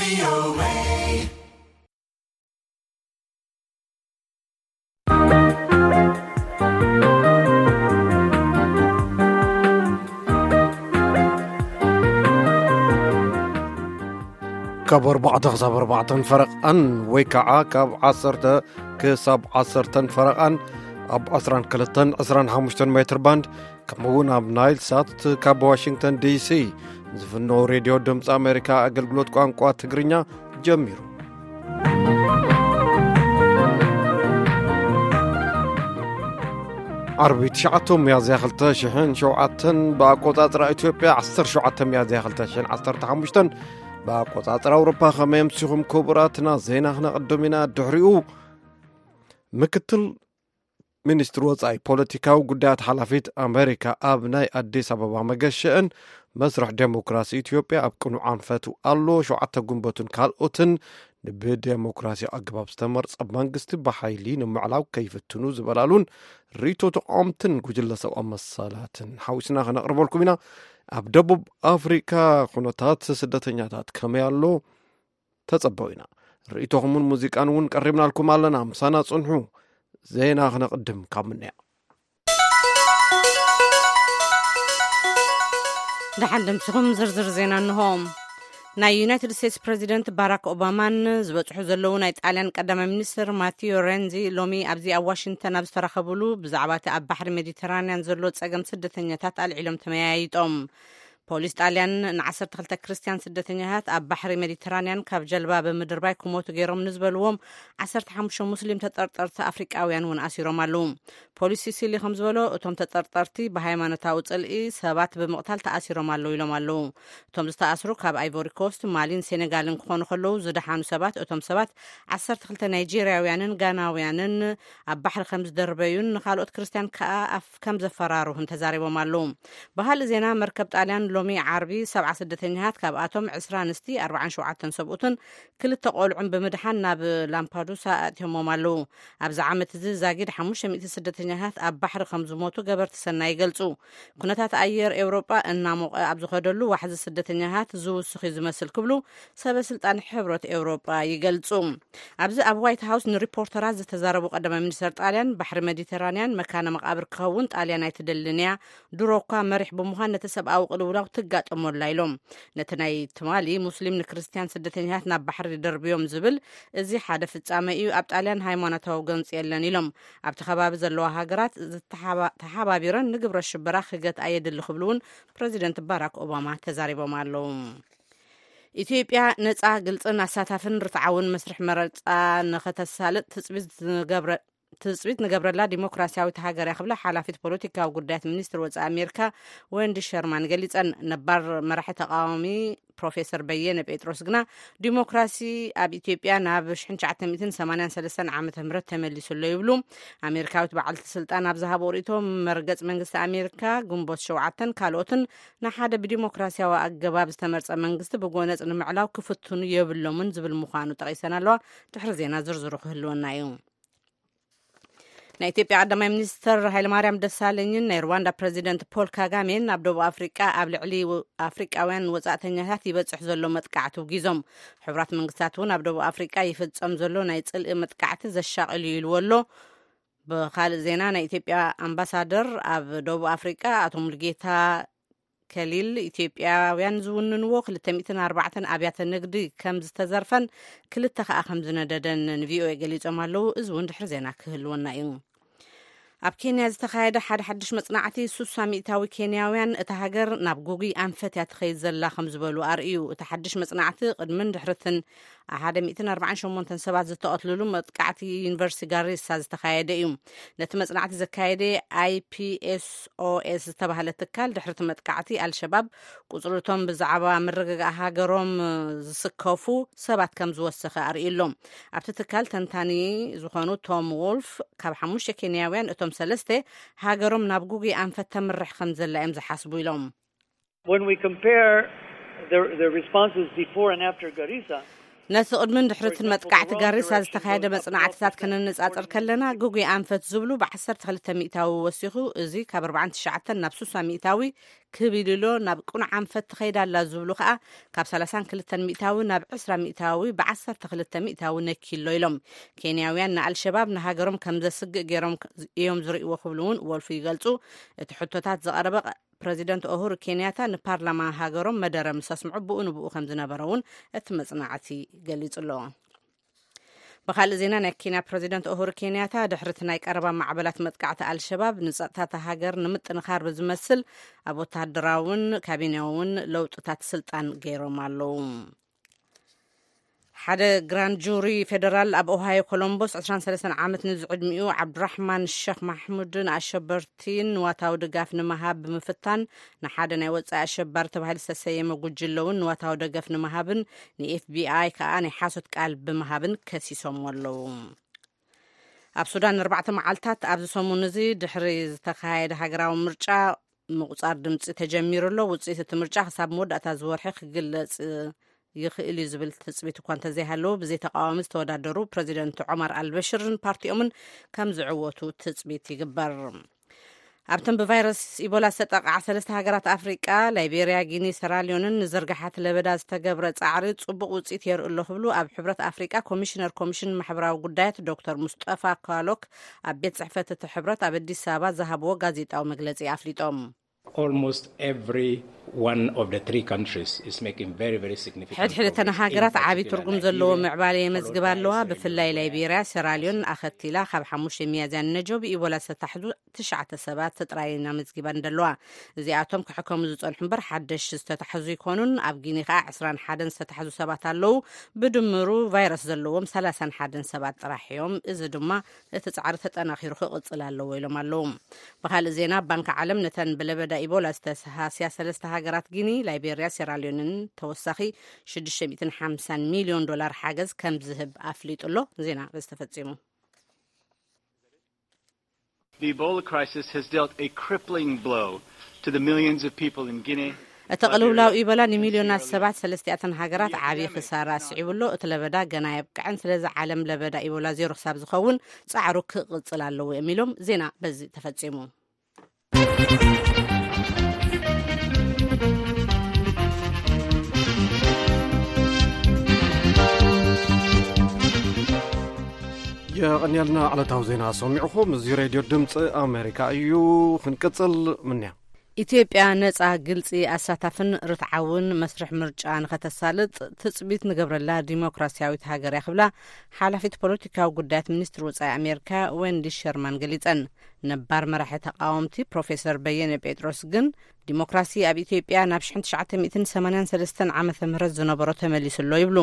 ካብ ኣርባዕተ ክሳብ ኣርባዕተን ፈረቓን ወይ ከዓ ካብ ዓሰርተ ክሳብ ዓሰርተን ፈረቓን ኣብ ዕስራን ክልተን ዕስራን ሓሙሽተን ሜትር ባንድ፣ ከምኡ እውን ኣብ ናይል ሳት ካብ ዋሽንግተን ዲሲ ዝፍኖ ሬድዮ ድምፂ ኣሜሪካ ኣገልግሎት ቋንቋ ትግርኛ ጀሚሩ። ዓርቢ ትሽዓተ ሚያዝያ ክልተ ሽሕን ሸውዓተን ብኣቆጻጽራ ኢትዮጵያ፣ ዓሰርተ ሸውዓተ ሚያዝያ ክልተ ሽሕን ዓሰርተ ሓሙሽተን ብኣቆጻጽራ ኣውሮፓ። ከመይ ኣምሲኹም ክቡራትና? ዜና ክነቕድም ኢና። ድሕሪኡ ምክትል ሚኒስትሪ ወጻኢ ፖለቲካዊ ጉዳያት ሓላፊት ኣሜሪካ ኣብ ናይ ኣዲስ ኣበባ መገሸአን መስርሕ ዴሞክራሲ ኢትዮጵያ ኣብ ቅኑዕ ኣንፈቱ ኣሎ፣ ሸውዓተ ጉንበቱን ካልኦትን ብዴሞክራሲ ኣገባብ ዝተመርጸ መንግስቲ ብሓይሊ ንምዕላው ከይፍትኑ ዝበላሉን ርእይቶ ተቃወምትን ጉጅለ ሰብኣዊ መሰላትን ሓዊስና ክነቕርበልኩም ኢና። ኣብ ደቡብ ኣፍሪካ ኩነታት ስደተኛታት ከመይ ኣሎ? ተጸበው ኢና። ርእይቶኹምን ሙዚቃን እውን ቀሪብናልኩም ኣለና። ምሳና ጽንሑ። ዜና ክነቕድም ካብ ምንያ። ደሓን ደምሲኹም ዝርዝር ዜና እንሆ። ናይ ዩናይትድ ስቴትስ ፕሬዚደንት ባራክ ኦባማን ዝበጽሑ ዘለዉ ናይ ጣልያን ቀዳማይ ሚኒስትር ማቲዮ ሬንዚ ሎሚ ኣብዚ ኣብ ዋሽንግተን ኣብ ዝተራኸቡሉ ብዛዕባ እቲ ኣብ ባሕሪ ሜዲተራንያን ዘሎ ጸገም ስደተኛታት ኣልዒሎም ተመያይጦም። ፖሊስ ጣልያን ንዓሰርተ ክልተ ክርስትያን ስደተኛታት ኣብ ባሕሪ ሜዲተራንያን ካብ ጀልባ ብምድርባይ ክሞቱ ገይሮም ንዝበልዎም ዓሰርተ ሓሙሽተ ሙስሊም ተጠርጠርቲ ኣፍሪቃውያን እውን ኣሲሮም ኣለዉ። ፖሊስ ሲሲሊ ከም ዝበሎ፣ እቶም ተጠርጠርቲ ብሃይማኖታዊ ጽልኢ ሰባት ብምቕታል ተኣሲሮም ኣለዉ ኢሎም ኣለዉ። እቶም ዝተኣስሩ ካብ ኣይቮሪ ኮስት፣ ማሊን ሴኔጋልን ክኾኑ ከለዉ፣ ዝደሓኑ ሰባት፣ እቶም ሰባት ዓሰርተ ክልተ ናይጄርያውያንን ጋናውያንን ኣብ ባሕሪ ከም ዝደርበዩን ንኻልኦት ክርስትያን ከኣ ኣፍ ከም ዘፈራርሁን ተዛሪቦም ኣለዉ። ብኻልእ ዜና፣ መርከብ ጣልያን ሎሚ ዓርቢ ሰብዓ ስደተኛታት፣ ካብኣቶም ዕስራ ኣንስቲ፣ ኣርባዓን ሸውዓተን ሰብኡትን ክልተ ቆልዑን ብምድሓን ናብ ላምፓዱሳ ኣእትዮሞም ኣለዉ። ኣብዚ ዓመት እዚ ዛጊድ ሓሙሽተ ሚእቲ ስደተኛታት ኣብ ባሕሪ ከም ዝሞቱ ገበርቲ ሰናይ ይገልጹ። ኩነታት ኣየር ኤውሮጳ እናሞቐ ኣብ ዝኸደሉ፣ ዋሕዚ ስደተኛታት ዝውስኽ እዩ ዝመስል ክብሉ ሰበ ስልጣን ሕብረት ኤውሮጳ ይገልጹ። ኣብዚ ኣብ ዋይት ሃውስ ንሪፖርተራት ዝተዛረቡ ቀዳማይ ሚኒስተር ጣልያን፣ ባሕሪ ሜዲተራንያን መካነ መቓብር ክኸውን ጣልያን ኣይትደልን እያ፣ ድሮ እኳ መሪሕ ብምዃን ነቲ ሰብኣዊ ቅልውላው ትጋጠሞ ኣላ ኢሎም። ነቲ ናይ ትማሊ ሙስሊም ንክርስትያን ስደተኛታት ናብ ባሕሪ ደርብዮም ዝብል፣ እዚ ሓደ ፍጻመ እዩ፣ ኣብ ጣልያን ሃይማኖታዊ ጎንጺ የለን ኢሎም። ኣብቲ ከባቢ ዘለዋ ሃገራት ዝተሓባ-፣ ተሓባቢረን ንግብረ ሽበራ ክገትኣ የድሊ ክብሉ እውን ፕረዚደንት ባራክ ኦባማ ተዛሪቦም ኣለዉ። ኢትዮጵያ ነጻ፣ ግልጽን ኣሳታፍን ርትዓውን መስርሕ መረጻ ንኸተሳልጥ ትጽቢት ዝገብረ-፣ ትጽቢት ንገብረላ ዲሞክራሲያዊት ሃገር እያ ክብላ ሓላፊት ፖለቲካዊ ጉዳያት ሚኒስትሪ ወጻኢ ኣሜሪካ ወንዲ ሸርማን ገሊጸን። ነባር መራሒ ተቃዋሚ ፕሮፌሰር በየነ ጴጥሮስ ግና ዲሞክራሲ ኣብ ኢትዮጵያ ናብ ሽሕን ትሽዓተ ሚእትን ሰማንያን ሰለስተን ዓመተ ምህረት ተመሊሱ ኣሎ ይብሉ። ኣሜሪካዊት በዓልቲ ስልጣን ኣብ ዝሃቦ ርእይቶ፣ መርገጽ መንግስቲ ኣሜሪካ፣ ግንቦት ሸውዓተን ካልኦትን ንሓደ ብዲሞክራሲያዊ ኣገባብ ዝተመርጸ መንግስቲ ብጎነጽ ንምዕላው ክፍትኑ የብሎምን ዝብል ምዃኑ ጠቒሰን ኣለዋ። ድሕሪ ዜና ዝርዝሩ ክህልወና እዩ። ናይ ኢትዮጵያ ቀዳማይ ሚኒስትር ሃይለማርያም ደሳለኝን ናይ ሩዋንዳ ፕረዚደንት ፖል ካጋሜን ኣብ ደቡብ ኣፍሪቃ ኣብ ልዕሊ ወ-፣ ኣፍሪቃውያን ወጻእተኛታት ይበጽሕ ዘሎ መጥቃዕቲ ውጊዞም። ሕቡራት መንግስታት እውን ኣብ ደቡብ ኣፍሪቃ ይፍጸም ዘሎ ናይ ጽልኢ መጥቃዕቲ ዘሻቕል እዩ ኢልዎ ኣሎ። ብኻልእ ዜና፣ ናይ ኢትዮጵያ ኣምባሳደር ኣብ ደቡብ ኣፍሪቃ ኣቶ ሙሉጌታ ከሊል፣ ኢትዮጵያውያን ዝውንንዎ ክልተ ሚእትን ኣርባዕተን ኣብያተ ንግዲ ከም ዝተዘርፈን ክልተ ከኣ ከም ዝነደደን ንቪኦኤ ገሊጾም ኣለዉ። እዚ እውን ድሕሪ ዜና ክህልወና እዩ። ኣብ ኬንያ ዝተኻየደ ሓደ ሓድሽ መጽናዕቲ፣ ሱሳ ሚእታዊ ኬንያውያን እታ ሃገር ናብ ጉጉይ ኣንፈት እያ ትኸይድ ዘላ ከም ዝበሉ ኣርእዩ። እቲ ሓድሽ መጽናዕቲ ቅድምን ድሕርትን ሓደ ሚእትን ኣርባዓን ሸሞንተን ሰባት ዝተቐትልሉ መጥቃዕቲ ዩኒቨርሲቲ ጋሪሳ ዝተኻየደ እዩ። ነቲ መጽናዕቲ ዘካየደ ኣይፒኤስኦኤስ ዝተባህለ ትካል፣ ድሕሪ እቲ መጥቃዕቲ ኣልሸባብ ቁጽሪ እቶም ብዛዕባ ምርግጋእ ሃገሮም ዝስከፉ ሰባት ከም ዝወሰኸ ኣርእዩ ኣሎ። ኣብቲ ትካል ተንታኒ ዝኾኑ ቶም ዎልፍ፣ ካብ ሓሙሽተ ኬንያውያን እቶም ሰለስተ ሃገሮም ናብ ጉጉይ ኣንፈት ተምርሕ ከም ዘላ እዮም ዝሓስቡ ኢሎም። When we compare the, the responses before and after Garissa, ነቲ ቅድምን ድሕርትን መጥቃዕቲ ጋሪሳ ዝተኻየደ መጽናዕትታት ከነነጻጽር ከለና፣ ግጉይ ኣንፈት ዝብሉ ብ12 ሚእታዊ ወሲኹ፣ እዚ ካብ ኣርባዓን ትሽዓተን ናብ ስሳ ሚእታዊ ክብ ኢሉ ኣሎ፣ ናብ ቅኑዕ ኣንፈት ትኸይድ ኣላ ዝብሉ ከኣ ካብ ሰላሳን ክልተን ሚእታዊ ናብ ዕስራ ሚእታዊ ብ12 ሚእታዊ ነኪሎ ኢሎም። ኬንያውያን ንኣልሸባብ ንሃገሮም ከም ዘስግእ ገይሮም እዮም ዝርእይዎ ክብሉ እውን ወልፉ ይገልጹ። እቲ ሕቶታት ዝቐረበ ፕረዚደንት ኦሁሩ ኬንያታ ንፓርላማ ሃገሮም መደረ ምስ ኣስምዑ ብኡ ንብኡ ከም ዝነበረ እውን እቲ መጽናዕቲ ገሊጹ ኣሎ። ብኻልእ ዜና፣ ናይ ኬንያ ፕረዚደንት ኦሁሩ ኬንያታ ድሕሪ እቲ ናይ ቀረባ ማዕበላት መጥቃዕቲ ኣልሸባብ ንጸጥታ እታ ሃገር ንምጥንኻር ብዝመስል ኣብ ወተሃደራውን ካቢነውን ለውጥታት ስልጣን ገይሮም ኣለዉ። ሓደ ግራንድ ጁሪ ፌደራል ኣብ ኦሃዮ ኮሎምቦስ ዕስራን ሰለስተን ዓመት ንዝዕድሚኡ ዓብዱራሕማን ሸኽ ማሕሙድን ኣሸበርቲን ንዋታዊ ድጋፍ ንምሃብ ብምፍታን ንሓደ ናይ ወጻኢ ኣሸባሪ ተባሂሉ ዝተሰየመ ጉጅለ እውን ንዋታዊ ደገፍ ንምሃብን ንኤፍቢኣይ ከኣ ናይ ሓሶት ቃል ብምሃብን ከሲሶም ኣለዉ። ኣብ ሱዳን ኣርባዕተ መዓልታት ኣብዚ ሰሙን እዚ ድሕሪ ዝተኻየደ ሃገራዊ ምርጫ ምቁጻር ድምጺ ተጀሚሩ ኣሎ። ውጽኢት እቲ ምርጫ ክሳብ መወዳእታ ዝወርሒ ክግለጽ ይኽእል እዩ ዝብል ትጽቢት እኳ እንተዘይሃለዎ፣ ብዘይ ተቃዋሚ ዝተወዳደሩ ፕረዚደንት ዑማር ኣልበሽርን ፓርቲኦምን ከም ዝዕወቱ ትጽቢት ይግበር። ኣብተን ብቫይረስ ኢቦላ ዝተጠቕዓ ሰለስተ ሃገራት ኣፍሪቃ፣ ላይቤርያ፣ ጊኒ፣ ሰራልዮንን ንዝርግሓት ለበዳ ዝተገብረ ጻዕሪ ጽቡቕ ውጽኢት የርኢ ኣሎ ክብሉ ኣብ ሕብረት ኣፍሪቃ ኮሚሽነር ኮሚሽን ማሕበራዊ ጉዳያት ዶክተር ሙስጠፋ ካሎክ ኣብ ቤት ጽሕፈት እቲ ሕብረት ኣብ ኣዲስ ኣበባ ዝሃብዎ ጋዜጣዊ መግለጺ ኣፍሊጦም። Almost every one of the three countries is making very, very significant ሕድሕደተን progress. ሃገራት In ዓቢ particular, ትርጉም ዘለዎ Liberia, ምዕባለ የመዝግባ followed by ኣለዋ። Sierra ብፍላይ Leone. ላይቤርያ፣ ሴራልዮን ኣኸቲላ ካብ ሓሙሽተ ሚያዝያ ንነጆ ብኢቦላ ዝተታሕዙ ትሽዓተ ሰባት ጥራይ ኢና መዝጊባ እንደለዋ። እዚኣቶም ክሕከሙ ዝጸንሑ እምበር ሓደሽ ዝተታሕዙ ይኮኑን። ኣብ ጊኒ ከኣ ዕስራን ሓደን ዝተታሕዙ ሰባት ኣለዉ። ብድምሩ ቫይረስ ዘለዎም ሰላሳን ሓደን ሰባት ጥራሕ እዮም። እዚ ድማ እቲ ጻዕሪ ተጠናኺሩ ክቕጽል ኣለዎ ኢሎም ኣለዉ። ብኻልእ ዜና፣ ባንክ ዓለም ነተን ብለበዳ ኢቦላ ዝተሰሃስያ ሰለስተ ሃገራት ጊኒ፣ ላይቤርያ፣ ሴራልዮንን ተወሳኺ ሽዱሽተ ሚእትን ሓምሳን ሚልዮን ዶላር ሓገዝ ከም ዝህብ ኣፍሊጡ ኣሎ። ዜና በዚ ተፈጺሙ። The Ebola crisis has dealt a crippling blow to the millions of people in Guinea. እቲ ቅልውላው ኢቦላ ንሚልዮናት ሰባት ሰለስቲኣተን ሃገራት ዓብዪ ክሳራ ኣስዒቡ ኣሎ። እቲ ለበዳ ገና የብቅዐን። ስለዚ ዓለም ለበዳ ኢቦላ ዜሮ ክሳብ ዝኸውን ጻዕሩ ክቕጽል ኣለዎ እዮም ኢሎም። ዜና በዚ ተፈጺሙ። የቐንየልና ዕለታዊ ዜና ሰሚዕኹም። እዚ ሬድዮ ድምፂ ኣሜሪካ እዩ። ክንቅፅል ምንያ። ኢትዮጵያ ነፃ፣ ግልፂ፣ ኣሳታፍን ርትዓውን መስርሕ ምርጫ ንኸተሳልጥ ትፅቢት ንገብረላ ዲሞክራሲያዊት ሃገር እያ ክብላ ሓላፊት ፖለቲካዊ ጉዳያት ሚኒስትሪ ወፃኢ ኣሜሪካ ወንዲ ሸርማን ገሊፀን። ነባር መራሒ ተቃወምቲ ፕሮፌሰር በየነ ጴጥሮስ ግን ዲሞክራሲ ኣብ ኢትዮጵያ ናብ ሽሕን ትሽዓተ ሚእትን ሰማንያን ሰለስተን ዓመተ ምህረት ዝነበሮ ተመሊሱ ኣሎ ይብሉ።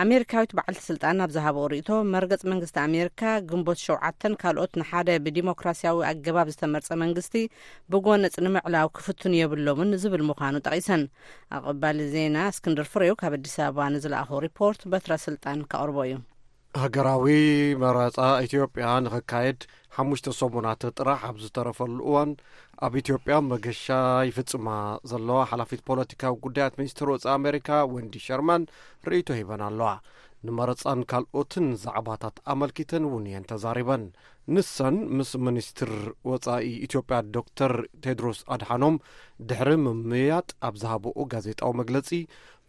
ኣሜሪካዊት በዓልቲ ስልጣን ኣብ ዝሃብኦ ርእይቶ፣ መርገጽ መንግስቲ ኣሜሪካ ግንቦት ሸውዓተን ካልኦት ንሓደ ብዲሞክራሲያዊ ኣገባብ ዝተመርጸ መንግስቲ ብጎነጽ ንምዕላው ክፍትኑ የብሎምን ዝብል ምዃኑ ጠቒሰን። ኣቐባሊ ዜና እስክንድር ፍሬው ካብ ኣዲስ ኣበባ ንዝለኣኾ ሪፖርት በትረ ስልጣን ከቕርቦ እዩ። ሃገራዊ መረጻ ኢትዮጵያ ንኽካየድ ሓሙሽተ ሰሙናት ጥራሕ ኣብ ዝተረፈሉ እዋን፣ ኣብ ኢትዮጵያ መገሻ ይፍጽማ ዘለዋ ሓላፊት ፖለቲካዊ ጉዳያት ሚኒስትር ወጻኢ ኣሜሪካ ወንዲ ሸርማን ርእይቶ ሂበን ኣለዋ። ንመረጻን ካልኦትን ዛዕባታት ኣመልኪተን እውን እየን ተዛሪበን። ንሰን ምስ ሚኒስትር ወጻኢ ኢትዮጵያ ዶክተር ቴድሮስ ኣድሓኖም ድሕሪ ምምያጥ ኣብ ዝሃብኦ ጋዜጣዊ መግለጺ፣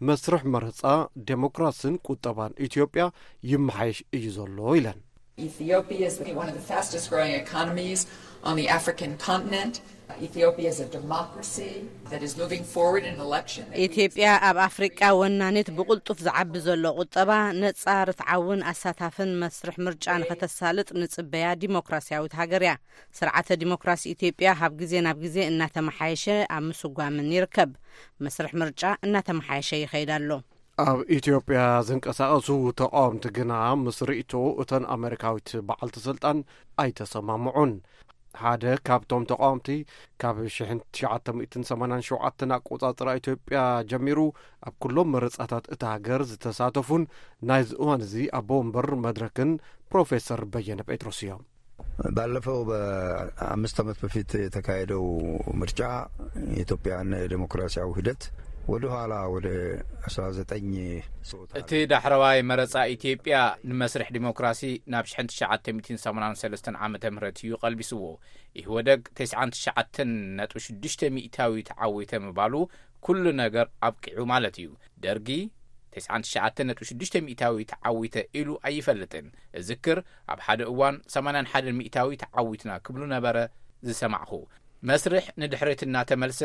መስርሕ መረጻ ዴሞክራስን ቁጠባን ኢትዮጵያ ይመሓየሽ እዩ ዘሎ ኢለን። Ethiopia is one of the fastest growing economies on the African continent. Ethiopia is a democracy that is moving forward in election. ኢትዮጵያ ኣብ ኣፍሪቃ ወናኒት ብቕልጡፍ ዝዓቢ ዘሎ ቁጠባ፣ ነጻ፣ ርትዓውን ኣሳታፍን መስርሕ ምርጫ ንኸተሳልጥ ንጽበያ ዲሞክራሲያዊት ሃገር እያ። ስርዓተ ዲሞክራሲ ኢትዮጵያ ካብ ግዜ ናብ ግዜ እናተመሓየሸ ኣብ ምስጓምን ይርከብ። መስርሕ ምርጫ እናተመሓየሸ ይኸይድ ኣሎ። ኣብ ኢትዮጵያ ዝንቀሳቐሱ ተቓወምቲ ግና ምስ ርእይቶ እተን ኣሜሪካዊት በዓልቲ ስልጣን ኣይተሰማምዑን። ሓደ ካብቶም ተቓወምቲ፣ ካብ ሽሕን ትሽዓተ ሚእትን ሰማንያን ሸውዓተን ኣቆጻጽራ ኢትዮጵያ ጀሚሩ ኣብ ኩሎም መረጻታት እታ ሃገር ዝተሳተፉን ናይዚ እዋን እዚ ኣቦ ወንበር መድረክን ፕሮፌሰር በየነ ጴጥሮስ እዮም። ባለፈው በአምስት ዓመት በፊት የተካሄደው ምርጫ የኢትዮጵያን ዴሞክራሲያዊ ሂደት ወደ ኋላ ወደ አስራ ዘጠኝ ሰው እቲ ዳሕረዋይ መረጻ ኢትዮጵያ ንመስርሕ ዲሞክራሲ ናብ ሽሕን ትሽዓተ ሚእትን ሰማንያን ሰለስተን ዓመተ ምህረት እዩ ቀልቢስዎ። ኢህወደግ ተስዓን ትሽዓተን ነጥቢ ሽዱሽተ ሚእታዊ ተዓዊተ ምባሉ ኩሉ ነገር ኣብቂዑ ማለት እዩ። ደርጊ ተስዓን ትሽዓተን ነጥቢ ሽዱሽተ ሚእታዊ ተዓዊተ ኢሉ ኣይፈልጥን። እዝክር፣ ኣብ ሓደ እዋን ሰማንያን ሓደን ሚእታዊ ተዓዊትና ክብሉ ነበረ ዝሰማዕኹ። መስርሕ ንድሕሪት እናተመልሰ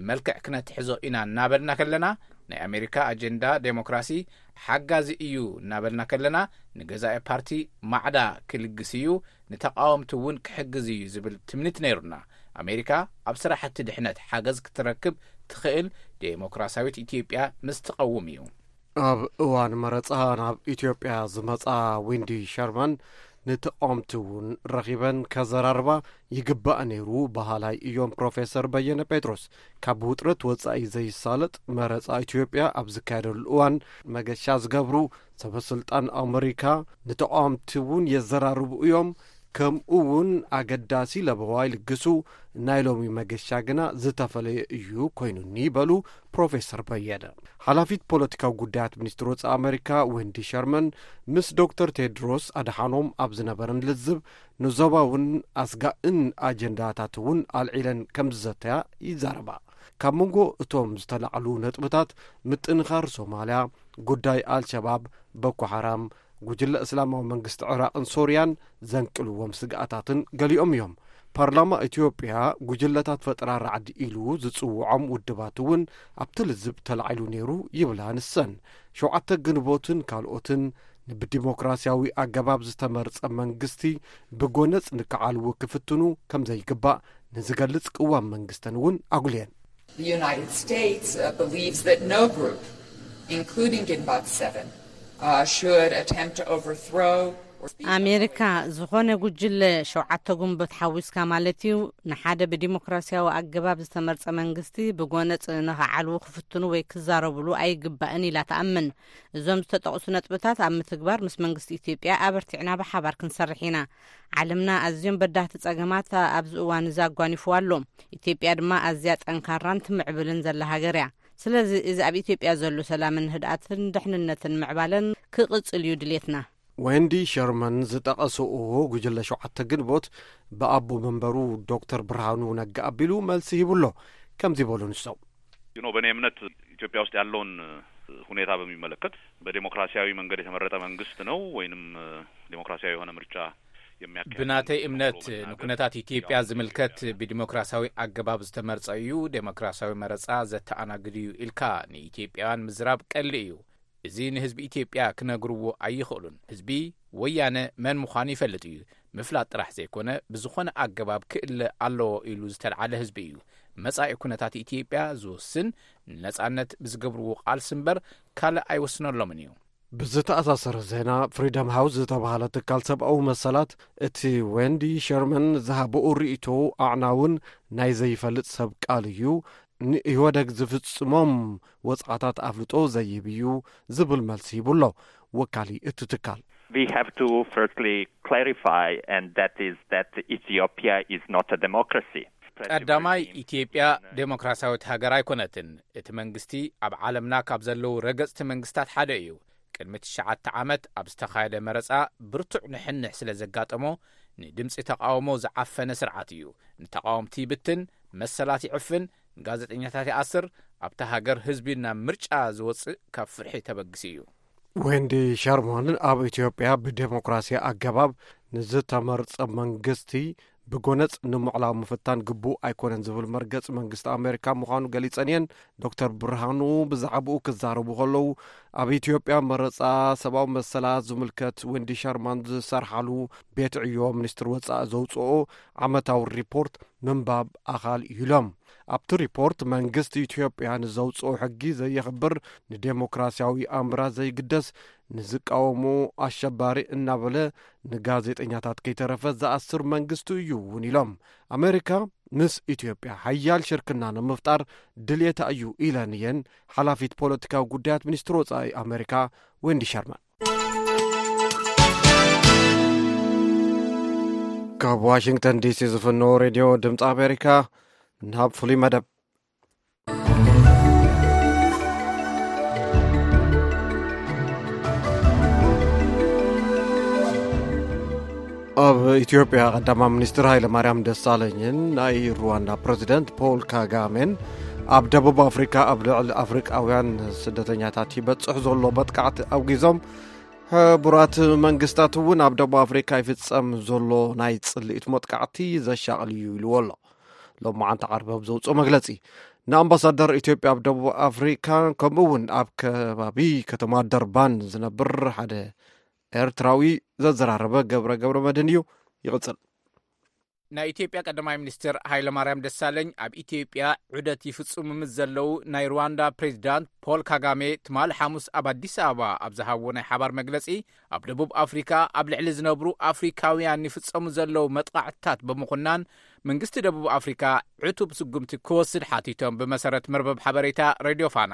መልክዕ ክነትሕዞ ኢና እናበልና ከለና፣ ናይ ኣሜሪካ ኣጀንዳ ዴሞክራሲ ሓጋዚ እዩ እናበልና ከለና፣ ንገዛኢ ፓርቲ ማዕዳ ክልግስ እዩ፣ ንተቃወምቲ እውን ክሕግዝ እዩ ዝብል ትምኒት ነይሩና። ኣሜሪካ ኣብ ስራሕቲ ድሕነት ሓገዝ ክትረክብ ትኽእል ዴሞክራሲያዊት ኢትዮጵያ ምስ ትቐውም እዩ። ኣብ እዋን መረጻ ናብ ኢትዮጵያ ዝመጻ ዊንዲ ሸርማን፣ ንተቃወምቲ እውን ረኺበን ከዘራርባ ይግባእ ነይሩ በሃላይ እዮም ፕሮፌሰር በየነ ጴጥሮስ። ካብ ውጥረት ወጻኢ ዘይሳለጥ መረጻ ኢትዮጵያ ኣብ ዝካየደሉ እዋን፣ መገሻ ዝገብሩ ሰበ ስልጣን ኣመሪካ ንተቃወምቲ እውን የዘራርቡ እዮም። ከምኡ እውን ኣገዳሲ ለበዋ ይልግሱ። ናይ ሎሚ መገሻ ግና ዝተፈለየ እዩ ኮይኑኒ በሉ ፕሮፌሰር በየነ። ሓላፊት ፖለቲካዊ ጉዳያት ሚኒስትር ወጻኢ ኣመሪካ ዌንዲ ሸርመን ምስ ዶክተር ቴድሮስ ኣድሓኖም ኣብ ዝነበረን ልዝብ፣ ንዞባውን ኣስጋእን ኣጀንዳታት እውን ኣልዒለን ከም ዝዘተያ ይዛረባ። ካብ መንጎ እቶም ዝተላዕሉ ነጥብታት፣ ምጥንኻር ሶማልያ፣ ጉዳይ ኣልሸባብ፣ ቦኮ ሓራም፣ ጉጅለ እስላማዊ መንግስቲ ዕራቕን ሶርያን ዘንቅልዎም ስግኣታትን ገሊኦም እዮም። ፓርላማ ኢትዮጵያ ጉጅለታት ፈጠራ ራዕዲ ኢሉ ዝጽውዖም ውድባት እውን ኣብቲ ልዝብ ተላዒሉ ነይሩ ይብላ ንሰን። ሸውዓተ ግንቦትን ካልኦትን ብዲሞክራሲያዊ ኣገባብ ዝተመርጸ መንግስቲ ብጎነጽ ንክዓልዎ ክፍትኑ ከም ዘይግባእ ንዝገልጽ ቅዋም መንግስተን እውን ኣጉልየን። The United States uh, believes that no group, including Ginbat seven, uh, should attempt to overthrow or speak ኣሜሪካ ዝኾነ ጉጅለ ሸውዓተ ግንቦት ሓዊስካ ማለት እዩ፣ ንሓደ ብዲሞክራሲያዊ ኣገባብ ዝተመርጸ መንግስቲ ብጎነጽ ንኽዓልዉ ክፍትኑ ወይ ክዛረብሉ ኣይግባእን ኢላ ትኣምን። እዞም ዝተጠቕሱ ነጥብታት ኣብ ምትግባር ምስ መንግስቲ ኢትዮጵያ ኣበርቲዕና ብሓባር ክንሰርሕ ኢና። ዓለምና ኣዝዮም በዳህቲ ጸገማት ኣብዚ እዋን እዚ ኣጓኒፍዋ ኣሎ። ኢትዮጵያ ድማ ኣዝያ ጠንካራን ትምዕብልን ዘላ ሃገር እያ። ስለዚ እዚ ኣብ ኢትዮጵያ ዘሎ ሰላምን ህድኣትን ድሕንነትን ምዕባለን ክቕጽል እዩ ድሌትና። ዌንዲ ሸርመን ዝጠቐስኦ ጉጅለ ሸውዓተ ግንቦት ብኣቦ መንበሩ ዶክተር ብርሃኑ ነጋ ኣቢሉ መልሲ ሂቡ ኣሎ። ከምዚ በሉ ንሶም። You know በእኔ እምነት ኢትዮጵያ ውስጥ ያለውን ሁኔታ በሚመለከት በዴሞክራሲያዊ መንገድ የተመረጠ መንግስት ነው ወይንም ዴሞክራሲያዊ የሆነ ምርጫ የሚያካሂድ ብናተይ እምነት ንኩነታት ኢትዮጵያ ዝምልከት ብዲሞክራሲያዊ ኣገባብ ዝተመርጸ እዩ፣ ዴሞክራሲያዊ መረጻ ዘተኣናግድ እዩ ኢልካ ንኢትዮጵያውያን ምዝራብ ቀሊ እዩ። እዚ ንህዝቢ ኢትዮጵያ ክነግርዎ ኣይኽእሉን። ህዝቢ ወያነ መን ምዃኑ ይፈልጥ እዩ። ምፍላጥ ጥራሕ ዘይኮነ ብዝኾነ ኣገባብ ክእለ ኣለዎ ኢሉ ዝተልዓለ ህዝቢ እዩ። መጻኢ ኩነታት ኢትዮጵያ ዝውስን ንነጻነት ብዝገብርዎ ቃልሲ እምበር ካልእ ኣይወስነሎምን እዩ። ብዝተኣሳሰረ ዜና፣ ፍሪደም ሃውስ ዝተባህለ ትካል ሰብኣዊ መሰላት፣ እቲ ዌንዲ ሸርመን ዝሃበኡ ርእይቶ ኣዕናውን ናይ ዘይፈልጥ ሰብ ቃል እዩ፣ ንኢህወደግ ዝፍጽሞም ወጽዓታት ኣፍልጦ ዘይህብ እዩ ዝብል መልሲ ሂቡ ኣሎ ወካሊ እቲ ትካል። We have to firstly clarify, and that is that Ethiopia is not a democracy. ቀዳማይ፣ ኢትዮጵያ ዴሞክራሲያዊት ሃገር ኣይኮነትን። እቲ መንግስቲ ኣብ ዓለምና ካብ ዘለዉ ረገጽቲ መንግስታት ሓደ እዩ። ቅድሚ ትሽዓተ ዓመት ኣብ ዝተኻየደ መረጻ ብርቱዕ ንሕንሕ ስለ ዘጋጠሞ፣ ንድምጺ ተቓውሞ ዝዓፈነ ስርዓት እዩ። ንተቓወምቲ ይብትን፣ መሰላት ይዕፍን፣ ንጋዜጠኛታት ይኣስር፣ ኣብታ ሃገር ህዝቢ ናብ ምርጫ ዝወጽእ ካብ ፍርሒ ተበግሲ እዩ። ዌንዲ ሸርማን ኣብ ኢትዮጵያ ብዴሞክራሲ ኣገባብ ንዝተመርጸ መንግስቲ ብጎነጽ ንምዕላው ምፍታን ግቡእ ኣይኮነን ዝብል መርገጽ መንግስቲ ኣሜሪካ ምዃኑ ገሊጸን እየን። ዶክተር ብርሃኑ ብዛዕባኡ ክዛረቡ ከለዉ፣ ኣብ ኢትዮጵያ መረጻ ሰብኣዊ መሰላት ዝምልከት ዌንዲ ሸርማን ዝሰርሓሉ ቤት ዕዮ ሚኒስትር ወጻኢ ዘውጽኦ ዓመታዊ ሪፖርት ምንባብ ኣኻል እዩ ኢሎም። ኣብቲ ሪፖርት መንግስቲ ኢትዮጵያ ንዘውጽኦ ሕጊ ዘየኽብር፣ ንዴሞክራሲያዊ ኣምራት ዘይግደስ፣ ንዝቃወሙ ኣሸባሪ እናበለ ንጋዜጠኛታት ከይተረፈ ዝኣስር መንግስቲ እዩ እውን ኢሎም። ኣሜሪካ ምስ ኢትዮጵያ ሓያል ሽርክና ንምፍጣር ድልየታ እዩ ኢለን እየን ሓላፊት ፖለቲካዊ ጉዳያት ሚኒስትሪ ወጻኢ ኣሜሪካ ዌንዲ ሸርማን። ካብ ዋሽንግተን ዲሲ ዝፍኖ ሬድዮ ድምፂ ኣሜሪካ ናብ ፍሉይ መደብ። ኢትዮጵያ ቀዳማይ ሚኒስትር ሃይለማርያም ደሳለኝን ናይ ሩዋንዳ ፕሬዚደንት ፖል ካጋሜን ኣብ ደቡብ ኣፍሪካ ኣብ ልዕሊ ኣፍሪቃውያን ስደተኛታት ይበፅሕ ዘሎ መጥቃዕቲ ኣውጊዞም፣ ሕቡራት መንግስታት እውን ኣብ ደቡብ ኣፍሪካ ይፍፀም ዘሎ ናይ ፅልኢት መጥቃዕቲ ዘሻቕል እዩ ኢልዎ ኣሎ። ሎማዓንቲ ዓርቢ ኣብ ዘውፅኦ መግለፂ፣ ንኣምባሳደር ኢትዮጵያ ኣብ ደቡብ ኣፍሪካ ከምኡ እውን ኣብ ከባቢ ከተማ ደርባን ዝነብር ሓደ ኤርትራዊ ዘዘራረበ ገብረ ገብረ መድህን እዩ። ይቕጽል። ናይ ኢትዮጵያ ቀዳማይ ሚኒስትር ሃይለማርያም ደሳለኝ ኣብ ኢትዮጵያ ዑደት ይፍጽሙ ምስ ዘለዉ ናይ ሩዋንዳ ፕሬዚዳንት ፖል ካጋሜ ትማሊ ሓሙስ ኣብ ኣዲስ ኣበባ ኣብ ዝሃብዎ ናይ ሓባር መግለጺ፣ ኣብ ደቡብ ኣፍሪካ ኣብ ልዕሊ ዝነብሩ ኣፍሪካውያን ይፍጸሙ ዘለዉ መጥቓዕትታት ብምኹናን መንግስቲ ደቡብ ኣፍሪካ ዕቱብ ስጉምቲ ክወስድ ሓቲቶም። ብመሰረት መርበብ ሓበሬታ ሬድዮ ፋና፣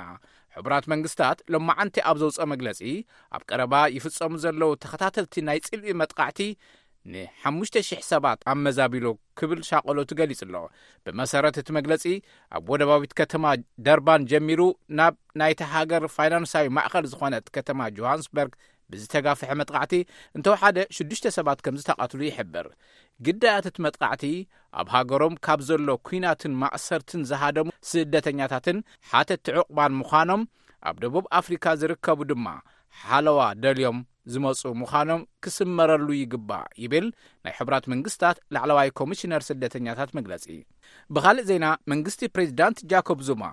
ሕቡራት መንግስታት ሎማዓንቲ ኣብ ዘውፅኦ መግለፂ፣ ኣብ ቀረባ ይፍጸሙ ዘለዉ ተኸታተልቲ ናይ ጽልኢ መጥቓዕቲ ንሓሙሽተ ሽሕ ሰባት ኣመዛቢሉ ክብል ሻቐሎቱ ገሊጹ ኣሎ። ብመሰረት እቲ መግለጺ፣ ኣብ ወደባዊት ከተማ ደርባን ጀሚሩ ናብ ናይቲ ሃገር ፋይናንሳዊ ማእኸል ዝኾነት ከተማ ጆሃንስበርግ ብዝተጋፍሐ መጥቓዕቲ እንተወሓደ ሽዱሽተ ሰባት ከም ዝተቓትሉ ይሕብር። ግዳያት እቲ መጥቓዕቲ ኣብ ሃገሮም ካብ ዘሎ ኲናትን ማእሰርትን ዝሃደሙ ስደተኛታትን ሓተትቲ ዕቑባን ምዃኖም፣ ኣብ ደቡብ ኣፍሪካ ዝርከቡ ድማ ሓለዋ ደልዮም ዝመፁ ምዃኖም ክስመረሉ ይግባእ ይብል ናይ ሕቡራት መንግስታት ላዕለዋይ ኮሚሽነር ስደተኛታት መግለፂ። ብኻልእ ዜና፣ መንግስቲ ፕሬዚዳንት ጃኮብ ዙማ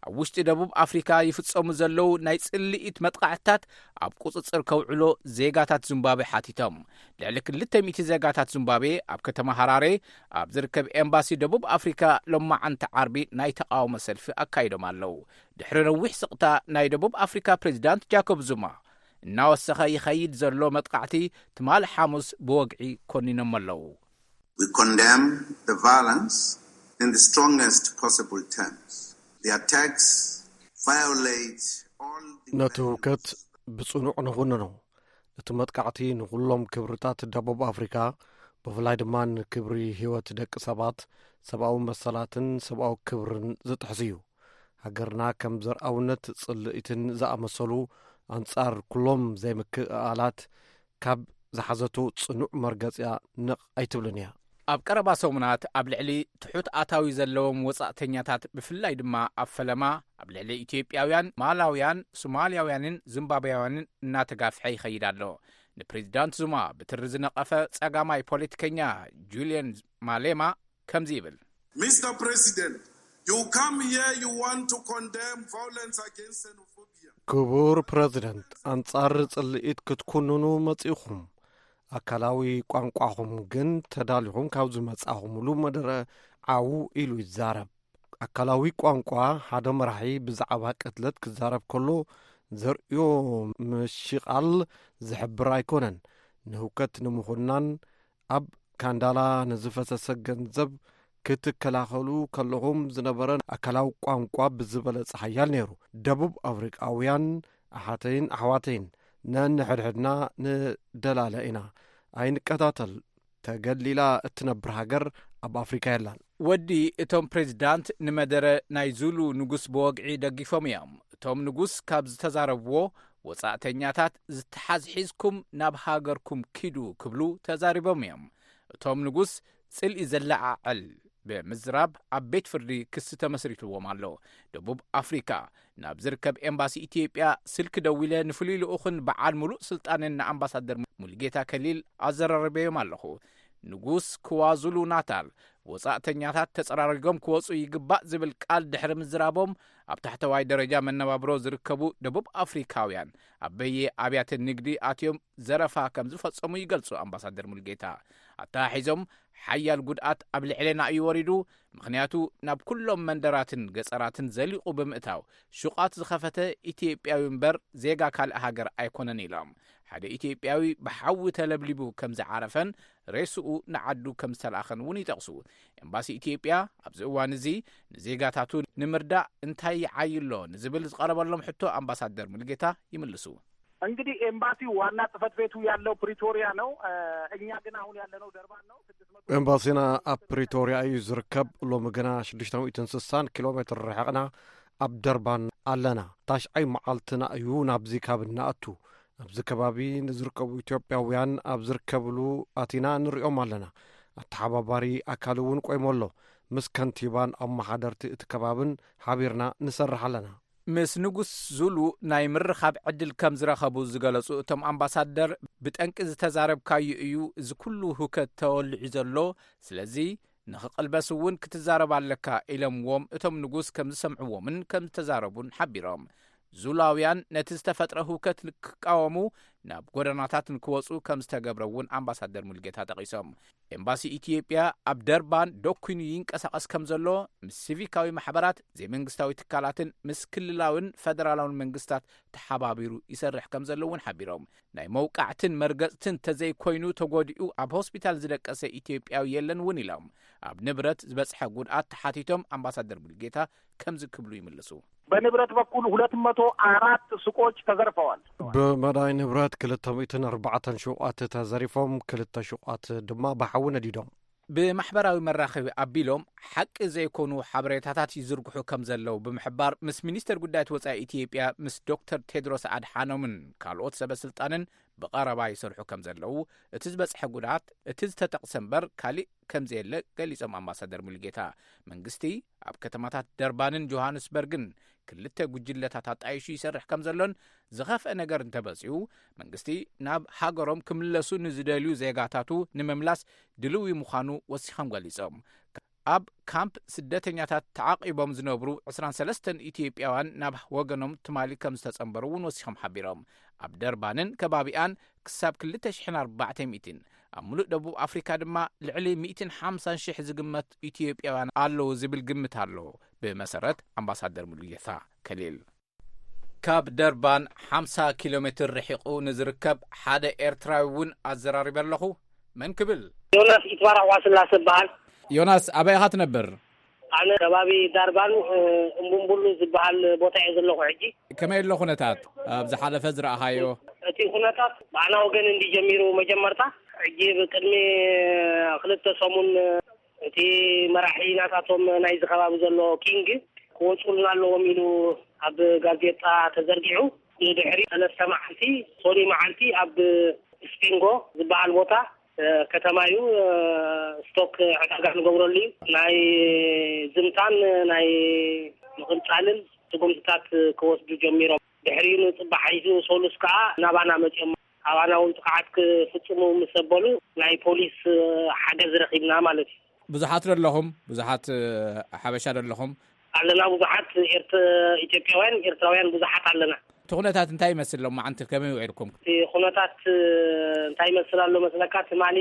ኣብ ውሽጢ ደቡብ ኣፍሪካ ይፍጸሙ ዘለዉ ናይ ጽልኢት መጥቓዕትታት ኣብ ቁጽጽር ከውዕሎ ዜጋታት ዚምባብዌ ሓቲቶም። ልዕሊ ክልተ ሚእቲ ዜጋታት ዚምባብዌ ኣብ ከተማ ሃራሬ ኣብ ዝርከብ ኤምባሲ ደቡብ ኣፍሪካ ሎማዓንቲ ዓርቢ ናይ ተቓውሞ ሰልፊ ኣካይዶም ኣለዉ። ድሕሪ ነዊሕ ስቕታ ናይ ደቡብ ኣፍሪካ ፕሬዚዳንት ጃኮብ ዙማ እናወሰኸ ይኸይድ ዘሎ መጥቓዕቲ ትማሊ ሓሙስ ብወግዒ ኮኒኖም ኣለዉ። We condemn the violence in the strongest possible terms. The attacks violate all the ነቲ ህውከት ብጽኑዕ ንኹንኖ። እቲ መጥቃዕቲ ንኹሎም ክብርታት ደቡብ ኣፍሪካ፣ ብፍላይ ድማ ንክብሪ ህይወት ደቂ ሰባት፣ ሰብኣዊ መሰላትን ሰብኣዊ ክብርን ዝጥሕስ እዩ። ሃገርና ከም ዘርኣውነት፣ ጽልኢትን ዝኣመሰሉ ኣንጻር ኩሎም ዘይምክእኣላት ካብ ዝሓዘቶ ጽኑዕ መርገጺያ ነቕ ኣይትብልን እያ። ኣብ ቀረባ ሰሙናት ኣብ ልዕሊ ትሑት ኣታዊ ዘለዎም ወጻእተኛታት፣ ብፍላይ ድማ ኣብ ፈለማ ኣብ ልዕሊ ኢትዮጵያውያን፣ ማላውያን፣ ሶማልያውያንን ዚምባብያውያንን እናተጋፍሐ ይኸይድ ኣሎ። ንፕሬዚዳንት ዙማ ብትሪ ዝነቐፈ ጸጋማይ ፖለቲከኛ ጁልየን ማሌማ ከምዚ ይብል። Mister President, you come here, you want to condemn violence against xenophobia. ክቡር ፕረዚደንት፣ ኣንጻር ጽልኢት ክትኩንኑ መጺኹም። ኣካላዊ ቋንቋኹም ግን ተዳሊኹም ካብ ዝመጻኹምሉ መደረ ዓው ኢሉ ይዛረብ። ኣካላዊ ቋንቋ፣ ሓደ መራሒ ብዛዕባ ቅትለት ክዛረብ ከሎ ዘርእዮ ምሽቓል ዝሕብር ኣይኮነን። ንህውከት ንምኹናን ኣብ ካንዳላ ንዝፈሰሰ ገንዘብ ክትከላኸሉ ከለኹም ዝነበረ ኣካላዊ ቋንቋ ብዝበለጸ ሓያል ነይሩ። ደቡብ ኣፍሪቃውያን ኣሓተይን ኣሕዋተይን፣ ነንሕድሕድና ንደላለ ኢና። ኣይንቀታተል። ተገሊላ እትነብር ሃገር ኣብ ኣፍሪካ የላን። ወዲ እቶም ፕሬዚዳንት ንመደረ ናይ ዙሉ ንጉስ ብወግዒ ደጊፎም እዮም። እቶም ንጉስ ካብ ዝተዛረብዎ፣ ወጻእተኛታት ዝተሓዝ ሒዝኩም ናብ ሃገርኩም ኪዱ ክብሉ ተዛሪቦም እዮም። እቶም ንጉስ ጽልኢ ዘለዓዕል ብምዝራብ ኣብ ቤት ፍርዲ ክሲ ተመስሪትዎም ኣሎ። ደቡብ ኣፍሪካ ናብ ዝርከብ ኤምባሲ ኢትዮጵያ ስልኪ ደዊለ ንፍሉይ ልኡኽን በዓል ሙሉእ ስልጣንን ንኣምባሳደር ሙሉጌታ ከሊል ኣዘራሪበዮም ኣለኹ። ንጉስ ክዋዙሉ ናታል፣ ወጻእተኛታት ተጸራሪጎም ክወጹ ይግባእ ዝብል ቃል ድሕሪ ምዝራቦም፣ ኣብ ታሕተዋይ ደረጃ መነባብሮ ዝርከቡ ደቡብ ኣፍሪካውያን ኣብ በየ ኣብያተ ንግዲ ኣትዮም ዘረፋ ከም ዝፈጸሙ ይገልጹ ኣምባሳደር ሙሉጌታ። ኣተሓሒዞም፣ ሓያል ጉድኣት ኣብ ልዕሌና እዩ ወሪዱ፣ ምኽንያቱ ናብ ኩሎም መንደራትን ገጸራትን ዘሊቑ ብምእታው፣ ሹቓት ዝኸፈተ ኢትዮጵያዊ እምበር ዜጋ ካልእ ሃገር ኣይኮነን ኢሎም። ሓደ ኢትዮጵያዊ ብሓዊ ተለብሊቡ ከም ዝዓረፈን ሬስኡ ንዓዱ ከም ዝተላእኸን እውን ይጠቕሱ። ኤምባሲ ኢትዮጵያ ኣብዚ እዋን እዚ ንዜጋታቱ ንምርዳእ እንታይ ይዓይሎ ንዝብል ዝቐረበሎም ሕቶ ኣምባሳደር ሙሉጌታ ይምልሱ። እንግዲህ ኤምባሲው ዋና ጽህፈት ቤቱ ያለው ፕሪቶሪያ ነው። እ፣ እኛ ግን አሁን ያለነው ደርባን ነው። ስድስት መቶ ኤምባሲና ኣብ ፕሪቶሪያ እዩ ዝርከብ። ሎሚ ግና ሽዱሽተ ሚእትን ስሳን ኪሎ ሜትር ርሕቕና ኣብ ደርባን ኣለና። ታሽዓይ መዓልትና እዩ ናብዚ ካብ እንኣቱ። ኣብዚ ከባቢ ንዝርከቡ ኢትዮጵያውያን ኣብ ዝርከብሉ ኣቲና ንሪኦም ኣለና። ኣተሓባባሪ ኣካል እውን ቆይሙ ኣሎ። ምስ ከንቲባን ኣመሓደርቲ እቲ ከባብን ሓቢርና ንሰርሕ ኣለና። ምስ ንጉስ ዙሉ ናይ ምርኻብ ዕድል ከም ዝረኸቡ ዝገለጹ እቶም ኣምባሳደር፣ ብጠንቂ ዝተዛረብካዩ እዩ እዚ ኩሉ ህውከት ተወሊዑ ዘሎ፣ ስለዚ ንኽቕልበስ እውን ክትዛረብ ኣለካ ኢሎምዎም እቶም ንጉስ ከም ዝሰምዕዎምን ከም ዝተዛረቡን ሓቢሮም። ዙላውያን ነቲ ዝተፈጥረ ህውከት ንክቃወሙ ናብ ጎደናታት ንክወጹ ከም ዝተገብረ እውን ኣምባሳደር ሙልጌታ ጠቒሶም። ኤምባሲ ኢትዮጵያ ኣብ ደርባን ዶኩኑ ይንቀሳቐስ ከም ዘሎ፣ ምስ ሲቪካዊ ማሕበራት፣ ዘይመንግስታዊ ትካላትን ምስ ክልላውን ፈደራላውን መንግስታት ተሓባቢሩ ይሰርሕ ከም ዘሎ እውን ሓቢሮም። ናይ መውቃዕትን መርገጽትን ተዘይኮይኑ ተጎዲኡ ኣብ ሆስፒታል ዝደቀሰ ኢትዮጵያዊ የለን እውን ኢሎም። ኣብ ንብረት ዝበጽሐ ጉድኣት ተሓቲቶም ኣምባሳደር ሙልጌታ ከምዚ ክብሉ ይምልሱ። በንብረት በኩል ሁለት መቶ አራት ሱቆች ተዘርፈዋል። ብመዳይ ንብረት ክልተ ሚእትን ኣርባዕተን ሹቓት ተዘሪፎም፣ ክልተ ሹቓት ድማ ብሓዊ ነዲዶም። ብማሕበራዊ መራኸቢ ኣቢሎም ሓቂ ዘይኮኑ ሓበሬታታት ይዝርግሑ ከም ዘለዉ ብምሕባር፣ ምስ ሚኒስተር ጉዳያት ወጻኢ ኢትዮጵያ፣ ምስ ዶክተር ቴድሮስ ኣድሓኖምን ካልኦት ሰበ ስልጣንን ብቐረባ ይሰርሑ ከም ዘለዉ፣ እቲ ዝበጽሐ ጉድኣት እቲ ዝተጠቕሰ እምበር ካሊእ ከም ዘየለ ገሊጾም ኣምባሳደር ሙሉጌታ። መንግስቲ ኣብ ከተማታት ደርባንን ጆሃንስበርግን ክልተ ጉጅለታት ኣጣይሹ ይሰርሕ ከም ዘሎን፣ ዝኸፍአ ነገር እንተበጺሑ መንግስቲ ናብ ሃገሮም ክምለሱ ንዝደልዩ ዜጋታቱ ንምምላስ ድልዊ ምዃኑ ወሲኾም ገሊጾም። ኣብ ካምፕ ስደተኛታት ተዓቂቦም ዝነብሩ ዕስራን ሰለስተን ኢትዮጵያውያን ናብ ወገኖም ትማሊ ከም ዝተጸንበሩ እውን ወሲኾም ሓቢሮም። ኣብ ደርባንን ከባቢኣን ክሳብ ክልተ ሽሕን ኣርባዕተ ሚእትን፣ ኣብ ሙሉእ ደቡብ ኣፍሪካ ድማ ልዕሊ ሚእትን ሓምሳን ሽሕ ዝግመት ኢትዮጵያውያን ኣለዉ ዝብል ግምት ኣሎ፣ ብመሰረት ኣምባሳደር ሙሉጌታ ከሊል። ካብ ደርባን ሓምሳ ኪሎ ሜትር ርሒቑ ንዝርከብ ሓደ ኤርትራዊ እውን ኣዘራሪበ ኣለኹ። መን ክብል? ዮናስ ይትባረኽ ዋስላሰ እበሃል። ዮናስ፣ ኣበይ ኢኻ ትነብር? ኣነ ከባቢ ዳርባን፣ እ፣ እምቡምቡሉ ዝበሃል ቦታ እየ ዘለኹ ሕጂ። ከመይ ኣሎ ኩነታት? ኣብ ዝሓለፈ ዝረኣኻዮ? እቲ ኩነታት ብኣና ወገን እንዲ ጀሚሩ መጀመርታ፣ ሕጂ ብቅድሚ ክልተ ሰሙን እቲ መራሒ ናታቶም ናይዚ ከባቢ ዘሎ ኪንግ ክወፁልና ኣለዎም ኢሉ ኣብ ጋዜጣ ተዘርጊሑ። ብድሕሪ ሰለስተ መዓልቲ፣ ሶኒ መዓልቲ፣ ኣብ ስፒንጎ ዝበሃል ቦታ፣ እ፣ ከተማ እዩ፣ እ፣ ስቶክ ዕዳጋ ንገብረሉ እዩ። ናይ ዝምታን ናይ ምቕንጻልን ስጉምትታት ክወስዱ ጀሚሮም። ድሕሪኡ ንጽባሕ ሒዙ ሰሉስ ከኣ ናባና መጺኦም። ኣባና እውን ጥቕዓት ክፍጽሙ ምስ ኣበሉ፣ ናይ ፖሊስ ሓገዝ ረኺብና ማለት እዩ። ብዙሓት ዶ ኣለኹም? ብዙሓት፣ እ፣ ሓበሻ ዶ ኣለኹም? ኣለና፣ ብዙሓት ኤርት-፣ ኢትዮጵያውያን፣ ኤርትራውያን ብዙሓት ኣለና። እቲ ኩነታት እንታይ ይመስል? ሎማዓንቲ ከመይ ውዒልኩም? እቲ ኩነታት፣ እ፣ እንታይ ይመስል ኣሎ መስለካ? ትማሊ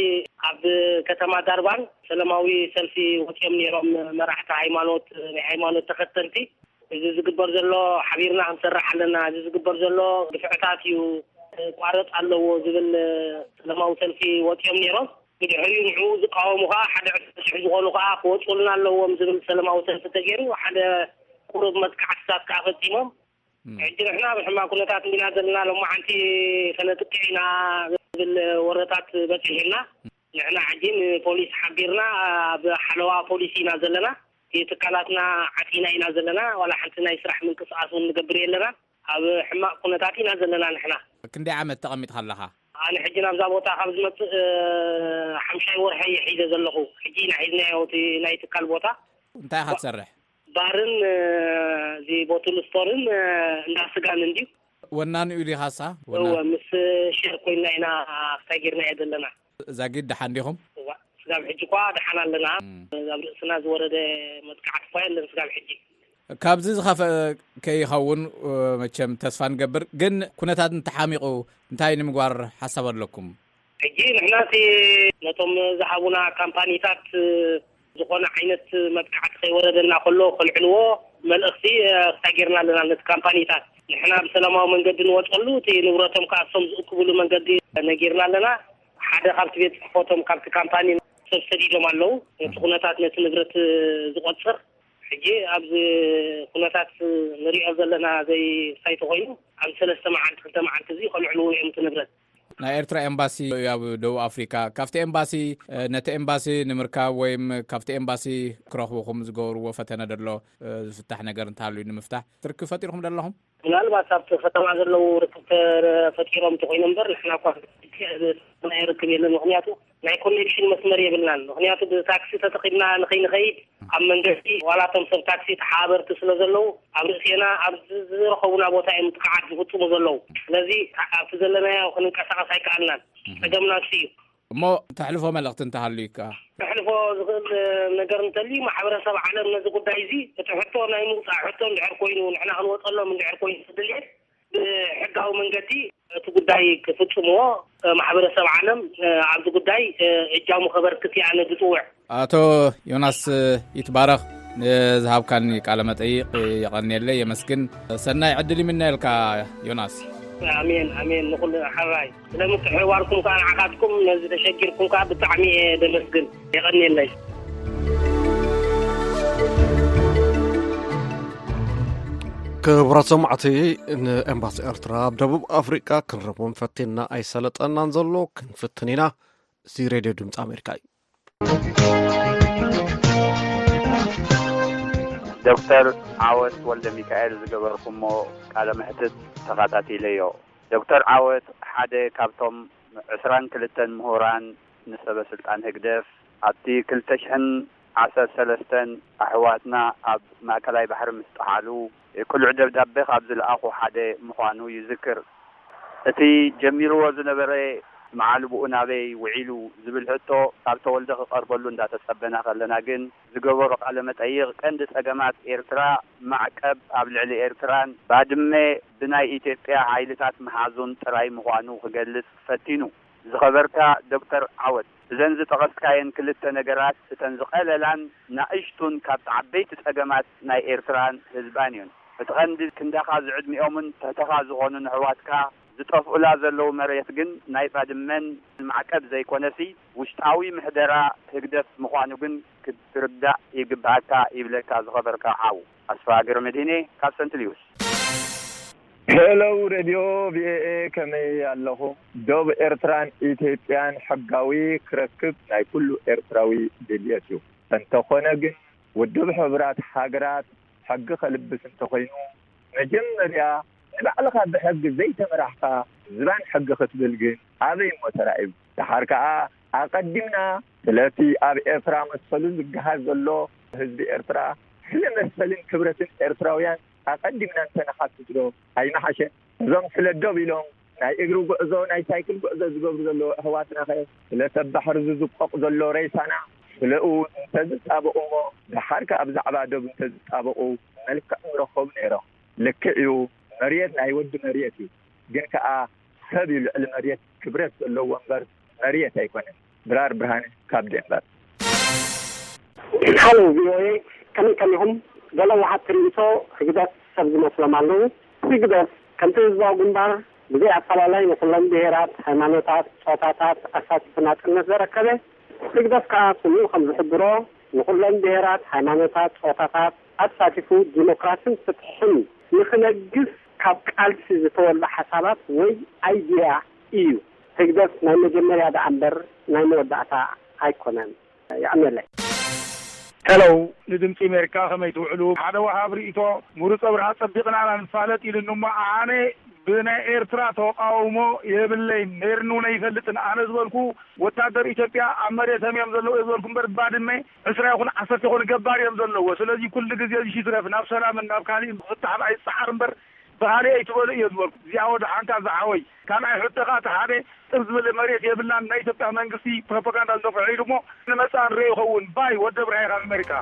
ኣብ ከተማ ዳርባን ሰላማዊ ሰልፊ ወጺኦም ነይሮም መራሕቲ ሃይማኖት፣ ናይ ሃይማኖት ተኸተልቲ። እዚ ዝግበር ዘሎ ሓቢርና ክንሰርሕ ኣለና፣ እዚ ዝግበር ዘሎ ግፍዕታት እዩ፣ ቋረጽ ኣለዎ ዝብል ሰላማዊ ሰልፊ ወጺኦም ነይሮም። ብድሕሪኡ ንዕኡ ዝቃወሙ ከኣ ሓደ ዕስራ ሽሕ ዝኾኑ ከኣ ክወጹልና ኣለዎም ዝብል ሰላማዊ ሰልፊ ተገይሩ፣ ሓደ ቁሩብ መጥቃዕትታት ከኣ ፈጺሞም። እም። ሕጂ ንሕና ኣብ ሕማቕ ኩነታት ኢና ዘለና፣ ሎማዓንቲ ከነጥቅዕ ኢና ዝብል ወረታት በጺሑና። ንሕና ሕጂ ንፖሊስ ሓቢርና ኣብ ሓለዋ ፖሊስ ኢና ዘለና። እቲ ትካላትና ዓጺና ኢና ዘለና፣ ዋላ ሓንቲ ናይ ስራሕ ምንቅስቓስ እውን ንገብር የለና። ኣብ ሕማቕ ኩነታት ኢና ዘለና ንሕና። ክንደይ ዓመት ተቐሚጥካ ኣለኻ? ኣነ ሕጂ ናብዛ ቦታ ካብ ዝመጽእ፣ እ፣ ሓምሻይ ወርሒ እየ ሒዘ ዘለኹ። ሕጂ ኢና ሒዝናዮ እቲ ናይ ትካል ቦታ። እንታይ ኢኻ ትሰርሕ? ባርን፣ እ፣ እዚ ቦትል ስቶርን፣ እ፣ እንዳ ስጋን እንድዩ። ወናኒኡ ዲኻሳ? እወ፣ ምስ ሼር ኮይንና ኢና ክሳይ ጌርናዮ ዘለና። ዛጊድ ደሓን ዲኹም? እዋ፣ ስጋብ ሕጂ እኳ ደሓን ኣለና። እም። ኣብ ርእስና ዝወረደ መጥቃዕቲ እኳ የለን ስጋብ ሕጂ። ካብዚ ዝኸፍአ ከይኸውን፣ እ፣ መቸም ተስፋ ንገብር። ግን ኩነታት እንተሓሚቑ እንታይ ንምግባር ሓሳብ ኣለኩም? ሕጂ ንሕና እቲ ነቶም ዝሃቡና ካምፓኒታት፣ እ፣ ዝኾነ ዓይነት መጥቃዕቲ ከይወረደና ከሎ ከልዕልዎ መልእኽቲ፣ እ፣ ክሳይ ጌርና ኣለና ነቲ ካምፓኒታት። ንሕና ብሰላማዊ መንገዲ ንወጸሉ፣ እቲ ንብረቶም ከኣ እሶም ዝእክብሉ መንገዲ ነጊርና ኣለና። ሓደ ካብቲ ቤት ጽሕፈቶም ካብቲ ካምፓኒ ሰብ ሰዲዶም ኣለዉ። ነቲ ኩነታት ነቲ ንብረት ዝቆጽር፣ ሕጂ ኣብዚ ኩነታት ንሪኦ ዘለና ዘይ ሳይት ኮይኑ፣ ኣብዚ ሰለስተ መዓልቲ፣ ክልተ መዓልቲ እዚ ከልዕልዎ እዮም እቲ ንብረት። ናይ ኤርትራ ኤምባሲ ኣብ ደቡብ ኣፍሪካ፣ ካብቲ ኤምባሲ፣ እ፣ ነቲ ኤምባሲ ንምርካብ ወይም ካብቲ ኤምባሲ ክረኽብኹም ዝገብርዎ ፈተነ ደሎ፣ እ፣ ዝፍታሕ ነገር እንተሃልዩ ንምፍታሕ ትርክብ ፈጢርኩም ደለኹም? ምናልባት ኣብቲ ከተማ ዘለዉ ርክብ ተፈጢሮም እንተኮይኑ እምበር፣ ንሕና እኳ ናይ ርክብ የለን። ምክንያቱ ናይ ኮኔክሽን መስመር የብልናን። ምክንያቱ ብታክሲ ተጠቂምና ንኸይንኸይድ፣ ኣብ መንገዲ ዋላቶም ሰብ ታክሲ ተሓባበርቲ ስለ ዘለዉ፣ ኣብ ርእሴና ኣብ ዝረኸቡና ቦታ እዮም ጥቃዓት ዝፍጽሙ ዘለዉ። ስለዚ ኣብቲ ዘለናዮ ክንንቀሳቀስ ኣይከኣልናን። ጸገምና እሱ እዩ። እሞ ተሕልፎ መልእኽቲ እንተሃልዩካ? ከሕልፎ ዝኽእል ነገር እንተልዩ፣ ማሕበረሰብ ዓለም ነዚ ጉዳይ እዚ፣ እቲ ሕቶ ናይ ምውጻእ ሕቶ እንድሕር ኮይኑ፣ ንሕና ክንወጸሎም እንድሕር ኮይኑ፣ ድልየት ብሕጋዊ መንገዲ እቲ ጉዳይ ክፍጽምዎ፣ ማሕበረሰብ ዓለም ኣብዚ ጉዳይ እጃሙ ከበርክት እየ ኣነ ዝጽውዕ። ኣቶ ዮናስ ይትባረኽ፣ ንዝሃብካኒ ቃለ መጠይቕ የቐንየለይ፣ የመስግን። ሰናይ ዕድል ይምነየልካ ዮናስ። ኣሜን፣ ኣሜን። ንኹሉ ሓራይ ስለ ምትሕብባርኩም ከዓ ንዓኻትኩም ነዚ ተሸጊርኩም ከዓ ብጣዕሚ እየ ዘመስግን። የቐንየለይ። ክቡራት ሰማዕቲ፣ ንኤምባሲ ኤርትራ ኣብ ደቡብ ኣፍሪቃ ክንረኽቦም ፈቲንና ኣይሰለጠናን ዘሎ፣ ክንፍትን ኢና። እዚ ሬድዮ ድምፂ ኣሜሪካ እዩ። ዶክተር ዓወት ወልደ ሚካኤል ዝገበርኩሞ ቃለ መሕትት ተኸታቲለዮ። ዶክተር ዓወት ሓደ ካብቶም ዕስራን ክልተን ምሁራን ንሰበ ስልጣን ህግደፍ ኣብቲ ክልተ ሽሕን ዓሰርተ ሰለስተን ኣሕዋትና ኣብ ማእከላይ ባሕሪ ምስ ጠሓሉ ቅሉዕ ደብዳቤ ካብ ዝለኣኹ ሓደ ምዃኑ ይዝክር። እቲ ጀሚርዎ ዝነበረ መዓልብኡ ናበይ ውዒሉ ዝብል ሕቶ ካብ ተወልደ ክቐርበሉ እንዳተጸበና ከለና ግን ዝገበሮ ቃለ መጠይቕ ቀንዲ ጸገማት ኤርትራ ማዕቀብ ኣብ ልዕሊ ኤርትራን ባድመ ብናይ ኢትዮጵያ ሓይልታት ምሓዙን ጥራይ ምዃኑ ክገልጽ ፈቲኑ። ዝኸበርካ ዶክተር ዓወት፣ እዘን ዝጠቐስካየን ክልተ ነገራት እተን ዝቐለላን ናእሽቱን ካብቲ ዓበይቲ ጸገማት ናይ ኤርትራን ህዝባን እዮን። እቲ ቐንዲ ክንዳኻ ዝዕድሚኦምን ትሕተኻ ዝኾኑን ኣሕዋትካ ዝጠፍኡላ ዘለዉ መሬት ግን ናይ ባድመን ማዕቀብ ዘይኮነሲ ውሽጣዊ ምሕደራ ህግደፍ ምዃኑ ግን ክትርዳእ ይግብኣካ ይብለካ ዝኸበርካ ሓው። ኣስፋ ገብረመድህኔ ካብ ሰንት ሉዊስ። ሄሎ ሬድዮ ቪኦኤ ከመይ ኣለኹም? ዶብ ኤርትራን ኢትዮጵያን ሕጋዊ ክረክብ ናይ ኩሉ ኤርትራዊ ድልየት እዩ። እንተኾነ ግን ውድብ ሕቡራት ሃገራት ሕጊ ከልብስ እንተኾይኑ መጀመርያ ንባዕልኻ ብሕጊ ዘይተመራሕኻ ዝባን ሕጊ ክትብል ግን ኣበይ እሞ ተራእዩ? ደሓር ከኣ ኣቐዲምና ስለቲ ኣብ ኤርትራ መሰሉ ዝገሃስ ዘሎ ህዝቢ ኤርትራ ስለ መሰልን ክብረትን ኤርትራውያን ኣቐዲምና እንተነሓትት ዶ ኣይምሓሸን? እዞም ስለ ዶብ ኢሎም ናይ እግሪ ጉዕዞ ናይ ሳይክል ጉዕዞ ዝገብሩ ዘለዉ ኣሕዋትናኸ ስለ ሰብ ባሕሪ ዝዝቆቕ ዘሎ ሬሳና ስለኡ እንተዝጣበቑ እሞ ደሓር ከኣ ብዛዕባ ዶብ እንተዝጣበቑ መልክዕ ምረኸቡ ነይሮም። ልክዕ እዩ መርየት ናይ ወዲ መርየት እዩ ግን ከኣ ሰብ እዩ ልዕሊ መርየት ክብረት ዘለዎ እምበር መርየት ኣይኮነን። ድራር ብርሃነ ካብ ዴንቨር። ሓሎ ቪኦኤ ከመይ ከሚኹም? ገለ ወሃብቲ ርእይቶ ህግደፍ ሰብ ዝመስሎም ኣለዉ። ህግደፍ ከምቲ ህዝባዊ ግንባር ብዘይ ኣፈላላይ ንኩሎም ብሄራት፣ ሃይማኖታት፣ ጾታታት ኣሳቲፉ ናጽነት ዘረከበ ህግደፍ ከኣ ስሙ ከም ዝሕብሮ ንኩሎም ብሄራት፣ ሃይማኖታት፣ ጾታታት ኣሳቲፉ ዲሞክራስን ፍትሕን ንክነግስ ካብ ቃልሲ ዝተወልደ ሓሳባት ወይ ኣይድያ እዩ። ህግደፍ ናይ መጀመርያ ደኣ እምበር ናይ መወዳእታ ኣይኮነን። የቐንየለይ። ሄሎ ንድምፂ ኣሜሪካ ከመይ ትውዕሉ? ሓደ ወሃብ ርእይቶ ምሩፅ ኣብርሃ ፀቢቕና ኢና ንፋለጥ ኢሉኒ እሞ ኣነ ብናይ ኤርትራ ተቃውሞ የብለይን ነይርኒ እውን ኣይፈልጥን። ኣነ ዝበልኩ ወታደር ኢትዮጵያ ኣብ መሬቶም እዮም ዘለዉ እየ ዝበልኩ እምበር ባድመ ዕስራ ይኹን ዓሰርተ ይኹን ገባር እዮም ዘለዎ። ስለዚ ኩሉ ግዜ እዚ ሽትረፍ ናብ ሰላምን ናብ ካሊእን ክፍታሕ ኣይፀዓር እምበር ብኻልእ ኣይትበሉ እየ ዝበልኩ። እዚኣ ወደ ሓንካ ዝሓወይ ካልኣይ ሕቶ ከዓ እቲ ሓደ ጥብ ዝበለ መሬት የብልናን ናይ ኢትዮጵያ መንግስቲ ፕሮፓጋንዳ ዝነፍዖ ኢሉ እሞ ንመፃ ንሪኦ ይኸውን ባይ ወደ ብርሃይ ካብ ኣሜሪካ።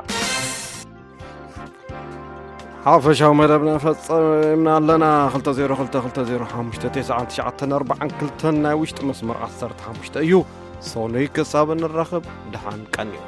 ሓፈሻዊ መደብና ፈጸምና ኣለና። ክልተ ዜሮ ክልተ ክልተ ዜሮ ሓሙሽተ ተስዓን ትሽዓተን ኣርባዓን ክልተን ናይ ውሽጢ መስመር ዓሰርተ ሓሙሽተ እዩ። ሰኑይ ክሳብ እንራኸብ ደሓን ቀንዩ።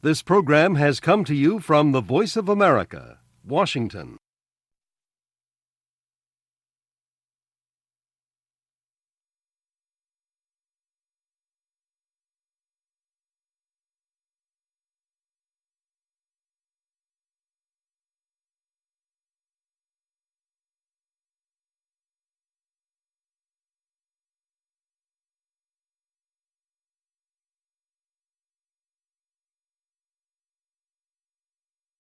This program has come to you from the Voice of America, Washington.